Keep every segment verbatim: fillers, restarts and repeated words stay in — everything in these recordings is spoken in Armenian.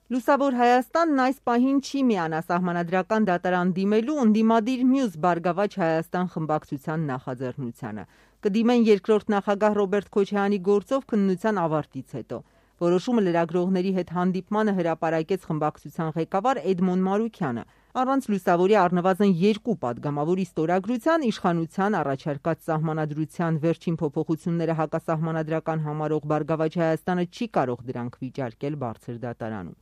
Լուսավոր Հայաստանն այս պահին չի միանա սահմանադրական դատարան դիմելու ընդդիմադիր մյուս Բարգավաճ Հայաստան խմբակցության նախաձեռնությանը։ Կդիմեն երկրորդ նախագահ Ռոբերտ Քոչարյանի գործով քննության ավարտից հետո։ Որոշումը լրագրողների հետ հանդիպմանը հրապարակեց խմբակցության ղեկավար Էդմոն Մարուքյանը։ Առանց լուսավորի առնվազն երկու պատգամավորի ստորագրության իշխանության առաջարկած սահմանադրության վերջին փոփոխությունները հակասահմանադրական համարող Բարգավաճ Հայաստանը չի կարող դրանք վիճարկել բարձր դատարանում։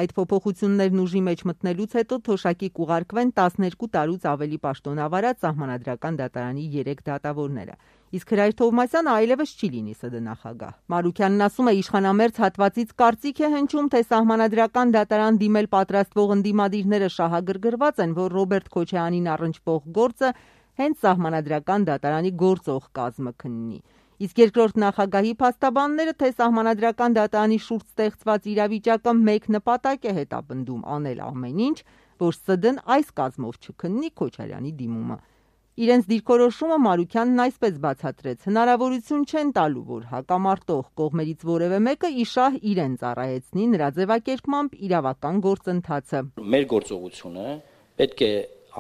Այդ փոփոխություններն ուժի մեջ մտնելուց հետո թոշակի կուղարկվեն տասներկու տարուց ավելի պաշտոնավարած սահմանադրական դատարանի երեք դատավորները։ Իսկ Հրայր Թովմասյանը այլևս չի լինի ՍԴ նախագահ։ Մարուքյանն ասում է, իշխանամերձ հատվածից կարծիք է հնչում, թե սահմանադրական դատարան դիմել պատրաստվող ընդդիմադիրները շահագրգռված են, որ Ռոբերտ Քոչարյանին առնչվող գործը հենց սահմանադրական դատարանի գործող կազմը քննի։ Իսկ երկրորդ նախագահի փաստաբանները, թե սահմանադրական դատարանի շուրջ ստեղծված իրավիճակը մեկ նպատակ է հետապնդում անել ամեն ինչ, որ ՍԴ-ն այս կազմով չքննի Քոչարյանի դիմումը։ Իրենց դիրքորոշումը Մարուքյանն այսպես բացատրեց. հնարավորություն չեն տալու, որ հակամարտող կողմերից որևէ մեկը իշահ իրեն ծառայեցնի, նրա ձևակերպմամբ իրավական գործընթացը։ Մեր գործողությունը պետք է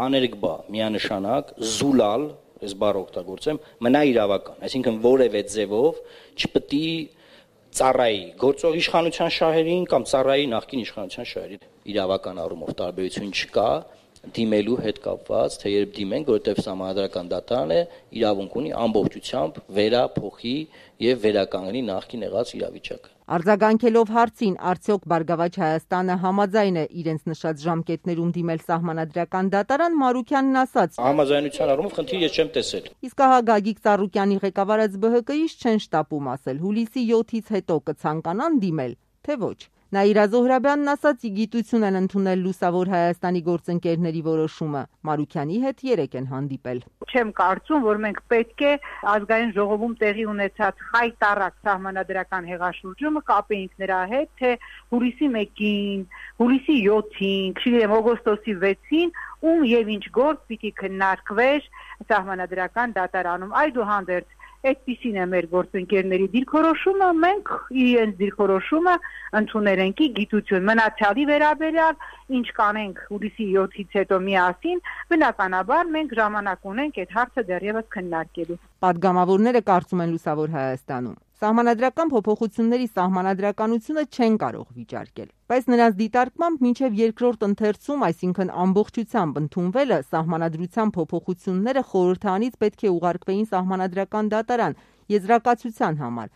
աներկբա, միանշանակ, զուլալ, այս բառը օգտագործեմ, մնա իրավական, այսինքն որևէ ձևով չպետք է ծառայի գործող իշխանության շահերին կամ ծառայի նախկին իշխանության շահերին։ Իրավական առումով տարբերություն չկա դիմելու հետ կապված, թե երբ դիմենք, որովհետև սահմանադրական դատարանը իրավունք ունի ամբողջությամբ վերափոխի եւ վերականգնի նախկին եղած իրավիճակը։ Արձագանքելով հարցին, արդյոք Բարգավաճ Հայաստանը համաձայն է իրենց նշած ժամկետներում դիմել սահմանադրական դատարան, Մարուքյանն ասաց. Համաձայնության առումով խնդիր ես չեմ տեսել։ Իսկ ահա Գագիկ Ծառուկյանի ղեկավարած Բ Հ Կ-ից չեն շտապում ասել հուլիսի յոթից հետո կցանկանան դիմել, թե ոչ։ Նաիրա Զոհրաբյանն ասաց, ի գիտություն են ընդունել Լուսավոր Հայաստանի գործընկերների որոշումը։ Մարուքյանի հետ երեկ են հանդիպել։ Չեմ կարծում, որ մենք պետք է ազգային ժողովում տեղի ունեցած խայտառակ սահմանադրական հեղաշրջումը կապեինք նրա հետ, թե հուլիսի մեկին, հուլիսի յոթին, չգիտեմ, օգոստոսի վեցին ում եւ ինչ գործ պիտի քննարկվեր սահմանադրական դատարանում։ Այդուհանդերձ այդպիսին է մեր գործընկերների դիրքորոշումը, մենք իրենց դիրքորոշումը ընդունել ենք ի գիտություն։ Մնացյալի վերաբերյալ ինչ կանենք հուլիսի յոթից հետո միասին, բնականաբար մենք ժամանակ ունենք այդ հարցը դեռևս քննարկելու։ Պատգամավորները կարծում են Լուսավոր Հայաստանում, սահմանադրական փոփոխությունների սահմանադրականությունը չեն կարող վիճարկել, բայց նրանց դիտարկմամբ մինչև երկրորդ ընթերցում, այսինքն ամբողջությամբ ընդունվելը, սահմանադրության փոփոխությունները խորհրդարանից պետք է ուղարկվեին սահմանադրական դատարան եզրակացության համար,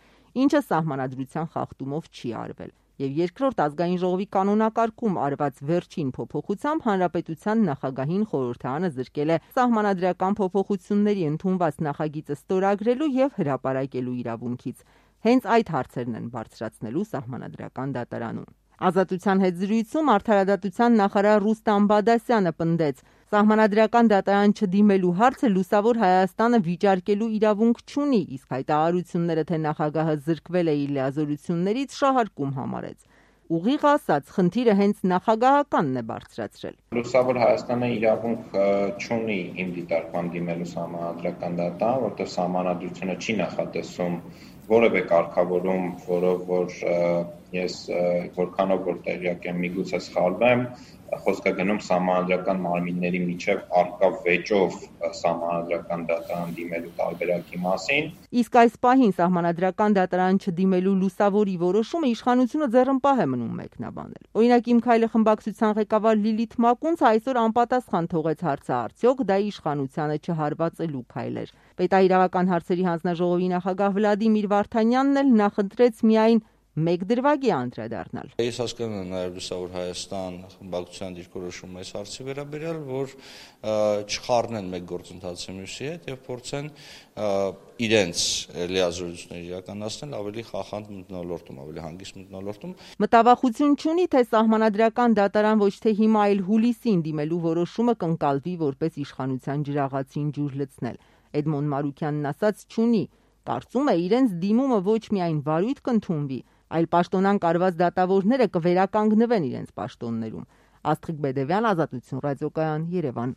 ինչը սահմանադրության խախտումով չի արվել։ Եվ երկրորդ ազգային ժողովի կանոնակարգում արված վերջին փոփոխությամբ հանրապետության նախագահին խորհրդարանը զրկել է սահմանադրական փոփոխությունների ընդունված նախագիծը ստորագրելու եւ հրապարակելու իրավունքից։ Հենց այդ հարցերն են բարձրացնելու սահմանադրական դատարանում։ Ազատության հետ զրույցում արդարադատության նախարար Ռուստամ Բադասյանը պնդեց. սահմանադրական դատարան չդիմելու հարցը Լուսավոր Հայաստանը վիճարկելու իրավունք չունի, իսկ հայտարարությունները, թե նախագահը զրկվել է իր լիազորություններից, շահարկում համարեց։ Ուղիղ ասած, խնդիրը հենց նախագահականն է բարձրացրել։ Լուսավոր Հայաստանը իրավունք չունի իմ դիտարկման դիմելու սահմանադրական դատարան, որտեղ սահմանադրությունը չի նախատեսում որևէ կարգավորում, որով որ ես որքանով որ տեղյակ եմ, միգուցե սխալվեմ, խոսքը գնում սահմանադրական մարմինների միջև առկա վեճով սահմանադրական դատարան դիմելու տարբերակի մասին։ Իսկ այս պահին սահմանադրական դատարան չդիմելու Լուսավորի որոշումը իշխանությունը ձեռնպահ է մնում մեկնաբանել։ Օրինակ Իմ քայլը խմբակցության ղեկավար Լիլիթ Մակունցը այսօր անպատասխան թողեց հարցը, արդյոք դա իշխանությանը չհարվածելու քայլ էր։ Պետաիրավական հարցերի հանձնաժողովի նախագահ Վլադիմիր Վարդանյանն էլ նախընտրեց միայն մեկ դրվագի անդրադառնալ։ Ես հասկանում եմ նաև Լուսավոր Հայաստան խմբակցության դիրքորոշումը այս հարցի վերաբերյալ, որ չխառնեն մեկ գործընթացի մյուսի հետ եւ փորձեն իրենց լիազորությունները իրականացնել ավելի խախանդ մթնոլորտում, ավելի հանգիստ մթնոլորտում։ Մտավախություն չունի, թե սահմանադրական դատարան ոչ թե հիմա այլ հուլիսին դիմելու որոշումը կընկալվի որպես իշխանության ջրաղացին ջուր լցնել։ Էդմոն Մարուքյանն ասաց չունի, կարծում է իրենց դիմումը ոչ միայն վարույթ կընդունվի, այլ պաշտոնան կարված դատավորները կվերականգնվեն իրենց պաշտոններում։ Աստղիկ Բեդևյան, Ազատություն ռադիոկայան, Երևան։